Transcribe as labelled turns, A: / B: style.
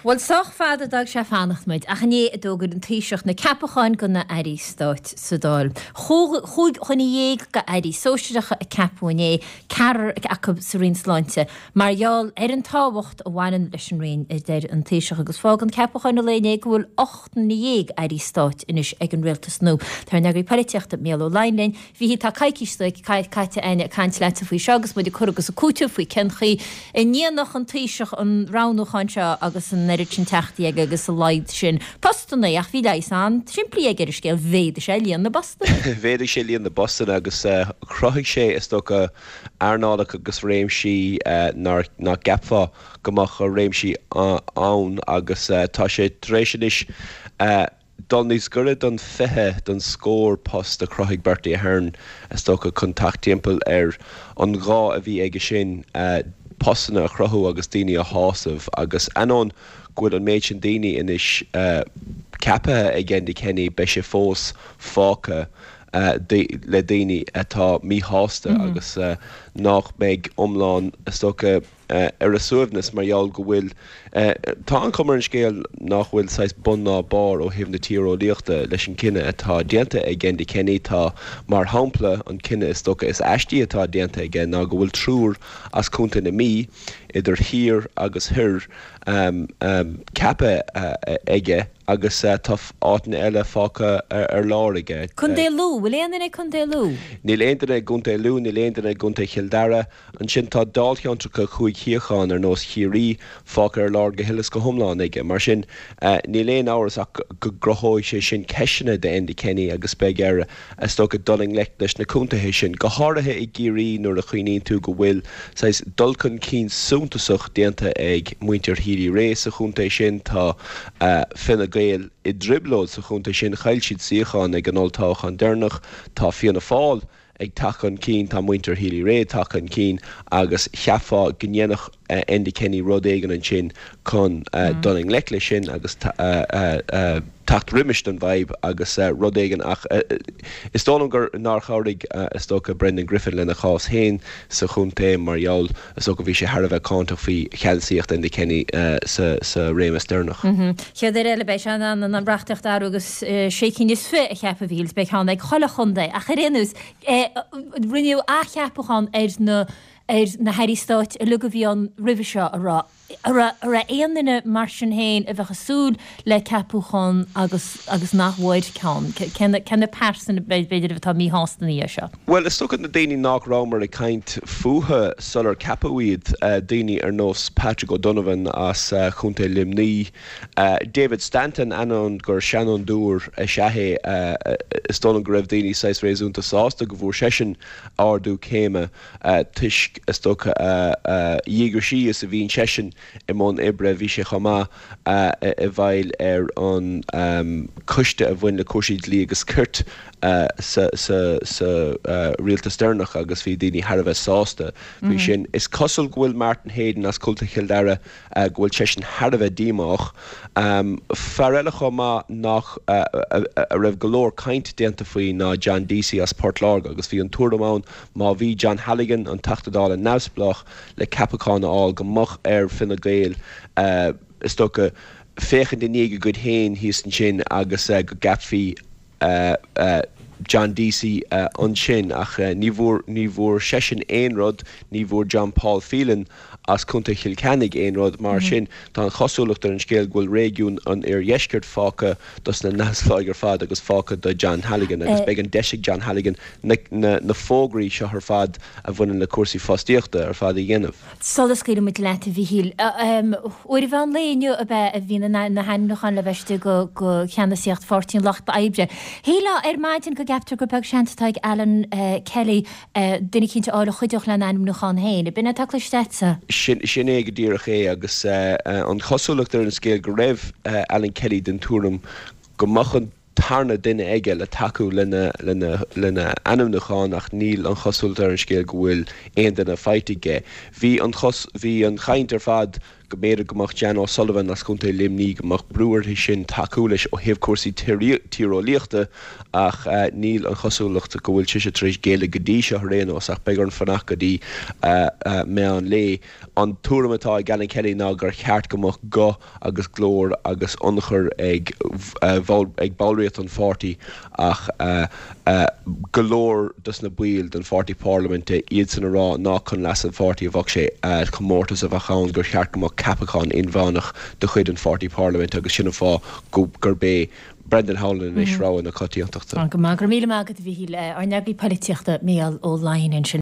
A: Bhuel, sách fada a d'fhág sé fanacht muid, ach inné a d'fhógair an Taoiseach na ceapacháin do na hairí stáit sa Dáil. 15 dhuine d'airí sóisearacha a ceapadh inné, ceathrar acu sa Roinn Sláinte. Mar gheall ar an tábhacht a bhaineann leis an Roinn, a deir an Taoiseach, agus fágann ceapacháin an lae inné go bhfuil 18 nduine airí stáit anois ag an rialtas nua. Tá ár n-eagraí polaitíochta, Mícheál Ó Laighin linn. Mhíchíl, tá coicís caite againn ag caint leatsa faoi seo agus muid ag cur agus ag cúiteamh faoi cén chaoi a ndéanfadh an Taoiseach an roghnúchán seo agus an oiread sin teachtaí aige agus a laghad sin postanna ach bhí leigheas an-simplí aige ar an scéal, mhéadaigh sé líon na bpostanna.
B: Mhéadaigh sé líon na bpostanna agus chruthaigh sé, is dócha, earnálacha agus réimsí nár nach gceapfá go mbeadh réimsí ann agus tá sé tar éis anois dul níos gaire don 20, don scór post a chruthaigh Bertie Ahern, is dócha, chun teacht timpeall ar an ghá a bhí aige sin postanna a chruthú agus daoine a shásamh. Agus ainneoin go bhfuil an méid sin daoine anois ceaptha ag Enda Kenny, beidh sé fós fágtha le daoine atá míshásta agus nach mbeidh iomlán, is dócha, ar a suaimhneas mar gheall go bhfuil, tá an chuma ar an scéal nach bhfuil saghas bun ná barr ó thaobh na tíreolaíochta leis an cinneadh atá déanta ag Enda Kenny. Tá, mar shampla, an cinneadh is dócha is aistí atá déanta aige ná go bhfuil triúr as Contae na Mí, idir thiar agus thoir, ceaptha aige agus tá áiteanna eile fágtha ar lár aige.
A: Contae Lú, bhfuil aon duine ag Contae Lú?
B: Níl aon duine i gContae Lú, níl aon duine i gContae Chill Dara. Ansin tá dáilcheantracha chúig shuíochán ar nós Chiarraí fágtha ar lár go huile is go hiomlán aige. Mar sin, níl aon amhras ach go gcruthóidh sé sin ceisteanna d'Enda Kenny agus beidh air, is dócha, dul i ngleic leis na contaetha sin, go háirithe i gCiarraí nuair a chuimhníonn tú go bhfuil saghas dul chun cinn suntasach déanta ag muintir Healy-Rae sa chontae sin. Tá Fine Gael i dtrioblóid sa chontae sin, chaill siad suíochán ag an olltoghchán deireanach. Tá Fianna Fáil ag teacht chun cinn, tá muintir Healy-Rae ag teacht chun cinn agus cheapfá go ndéanfadh Enda Kenny rud éigin ansin chun dul i ngleic leis sin agus teacht roimis don bhfadhb agus rud éigin ach is dóigh liom gur nár chabhraigh is dócha Brendan Griffin lena chás féin sa chontae mar gheall is dócha bhí sé thar a bheith cáinteach faoi cheannasaíocht Enda Kenny sa réimeas deireanach.
A: Chéad uair eile beidh sé in ann an reachtaíocht a athrú agus sé cinn is fi a cheapadh a Mhíchíl, beidh ceann ag chuile chontae ach ar aon nós rinneadh athcheapachán ar na ar na hairí stáit uilig a bhí ann roimhe seo a raibh a raibh aon duine mar sin féin a bheadh ag súil le ceapúchán agus agus nach bhfuair ceann? Cé na pearsana b'fhéidir atá míshásta ina dhiaidh seo?
B: Bhuel, is dócha na daoine nach rabhamar ag caint fúthu sular ceapadh iad, daoine ar nós Patrick O'Donovan as Contae Luimnigh, David Stanton, ainneoin gur seanfhondúir is ea é, is dóigh liom go raibh daoine saghas réasúnta sásta go bhfuair seisean ardú céime toisc, is dócha, a dhíograisí is a bhíonn seisean i mbun oibre. Bhí sé chomh maith i bhfeighil ar an choiste a bhain le cúrsaí dlí agus cirt sa rialtas deireanach agus bhí daoine thar a bheith sásta faoi sin. Is cosúil go bhfuil Martin Heydon as Contae Chill Dara, go bhfuil seisean thar a bheith díomách. Fear eile chomh maith nach a raibh go leor caint déanta faoi ná John Deasy as Port Láirge agus bhí an tuairim ann má bhí John Halligan, an Teachta Dála neamhspleách, le ceapachán a fháil go mbeadh ar Fine Gael is dócha féachaint i ndiaidh a gcuid féin thíos ansin agus go gceapfaí John Deasy ansin ach ní bhfuair, ní bhfuair seisean aon rud, ní bhfuair John Paul Phelan as Contae Chill Chainnigh aon rud. Mar sin, tá an chosúlacht ar an scéal go bhfuil réigiún an Oirdheiscirt fágtha dos na neamhspleáigh ar fad agus fágtha do John Halligan agus beidh an deis ag John Halligan na, na, na fógraí seo ar fad a bhaineann le cúrsaí fostaíochta ar fad a dhéanamh.
A: Sula scaoilfidh muid leat, a Mhíchíl, uair an mheán lae inniu ab ea a bhí na hainmniúcháin le bheith istigh do cheannasaíocht Pháirtí an Lucht Oibre. Shílfeá ar maidin go gceaptar gur beag seans atá ag Alan Kelly duine eicínt a fháil a chuideodh lena ainmniúchán féin. Ab in é atá cloiste agatsa?
B: Sin é go díreach é agus an chosúlacht ar an scéal go raibh Alan Kelly den tuairim go mbeadh an tarna duine aige le tacú lena lena ainmniúchán ach níl an chosúlacht ar an scéal go bhfuil aon duine faighte aige. Bhí an bhí an chaint ar fad. Go mb'fhéidir go mbeadh Jan O'Sullivan as Contae Luimnigh, go mbeadh brú uirthi sin tacú leis ó thaobh cúrsaí tíreolaíochta ach níl an chosúlacht go bhfuil sise tar éis géilleadh go dtí seo ar aon nós ach beidh orainn fanacht go dtí meán lae. An tuairim atá ag Alan Kelly ná gur cheart go mbeadh guth agus glór agus ionchur ag ag ballraíocht an pháirtí ach go leor dos na baill den pháirtí parlaiminte, iadsan a rá nach chun leas an pháirtí a bheadh sé, comórtas a bheadh ann, gur cheart go mbeadh ceapachán inmheánach de chuid an pháirtí parlaiminte agus sin an fáth gurb é Brendan Howlin anois rogha na coitiantachta.
A: Go maith, go raibh míle maith agat a Mhíchíl. Ár n-eagraí polaitíochta Mícheál Ó Laighin ansin.